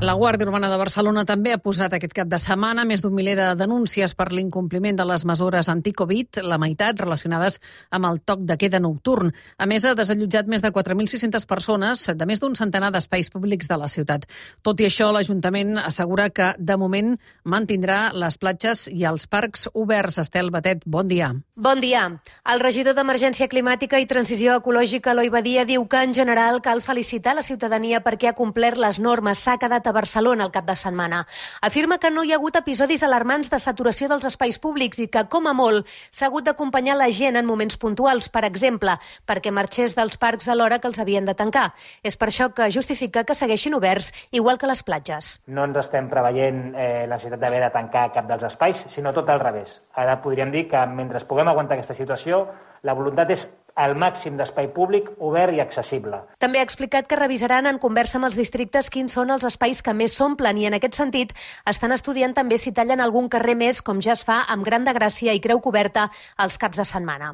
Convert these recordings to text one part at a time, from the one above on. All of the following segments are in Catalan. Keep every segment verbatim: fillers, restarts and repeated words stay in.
La Guàrdia Urbana de Barcelona també ha posat aquest cap de setmana més d'un miler de denúncies per l'incompliment de les mesures anti-Covid, la meitat relacionades amb el toc de queda nocturn. A més, ha desallotjat més de quatre mil sis-centes persones de més d'un centenar d'espais públics de la ciutat. Tot i això, l'Ajuntament assegura que, de moment, mantindrà les platges i els parcs oberts. Estel Batet, bon dia. Bon dia. El regidor d'Emergència Climàtica i Transició Ecològica, Eloi Badia, diu que, en general, cal felicitar la ciutadania perquè ha complert les normes, s'ha quedat a Barcelona el cap de setmana. Afirma que no hi ha hagut episodis alarmants de saturació dels espais públics i que, com a molt, s'ha hagut d'acompanyar la gent en moments puntuals, per exemple, perquè marxés dels parcs a l'hora que els havien de tancar. És per això que justifica que segueixin oberts, igual que les platges. No ens estem preveient eh, la necessitat d'haver de tancar cap dels espais, sinó tot al revés. Ara podríem dir que mentre puguem aguantar aquesta situació, la voluntat és el màxim d'espai públic obert i accessible. També ha explicat que revisaran en conversa amb els districtes quins són els espais que més s'omplen i en aquest sentit estan estudiant també si tallen algun carrer més, com ja es fa amb Gran de Gràcia i Creu Coberta els caps de setmana.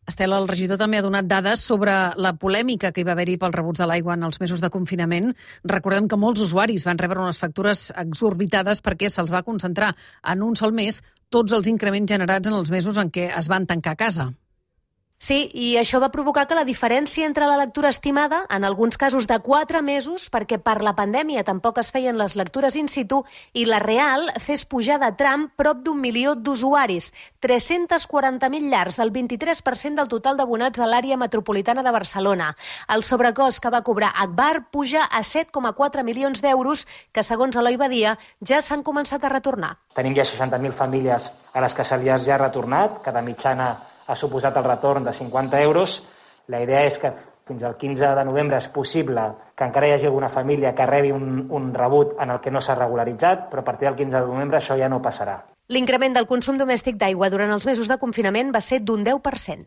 Estel, el regidor també ha donat dades sobre la polèmica que hi va haver-hi pels rebuts de l'aigua en els mesos de confinament. Recordem que molts usuaris van rebre unes factures exorbitades perquè se'ls va concentrar en un sol mes tots els increments generats en els mesos en què es van tancar a casa. Sí, i això va provocar que la diferència entre la lectura estimada, en alguns casos de quatre mesos, perquè per la pandèmia tampoc es feien les lectures in situ, i la real fes pujar de tram prop d'un milió d'usuaris, tres-cents quaranta mil llars, el vint-i-tres per cent del total d'abonats a l'àrea metropolitana de Barcelona. El sobrecost que va cobrar Agbar puja a set coma quatre milions d'euros, que segons Eloi Badia ja s'han començat a retornar. Tenim ja seixanta mil famílies a les que se li ha ja retornat, cada mitjana ha suposat el retorn de cinquanta euros. La idea és que fins al quinze de novembre és possible que encara hi hagi alguna família que rebi un, un rebut en el que no s'ha regularitzat, però a partir del quinze de novembre això ja no passarà. L'increment del consum domèstic d'aigua durant els mesos de confinament va ser d'un deu per cent.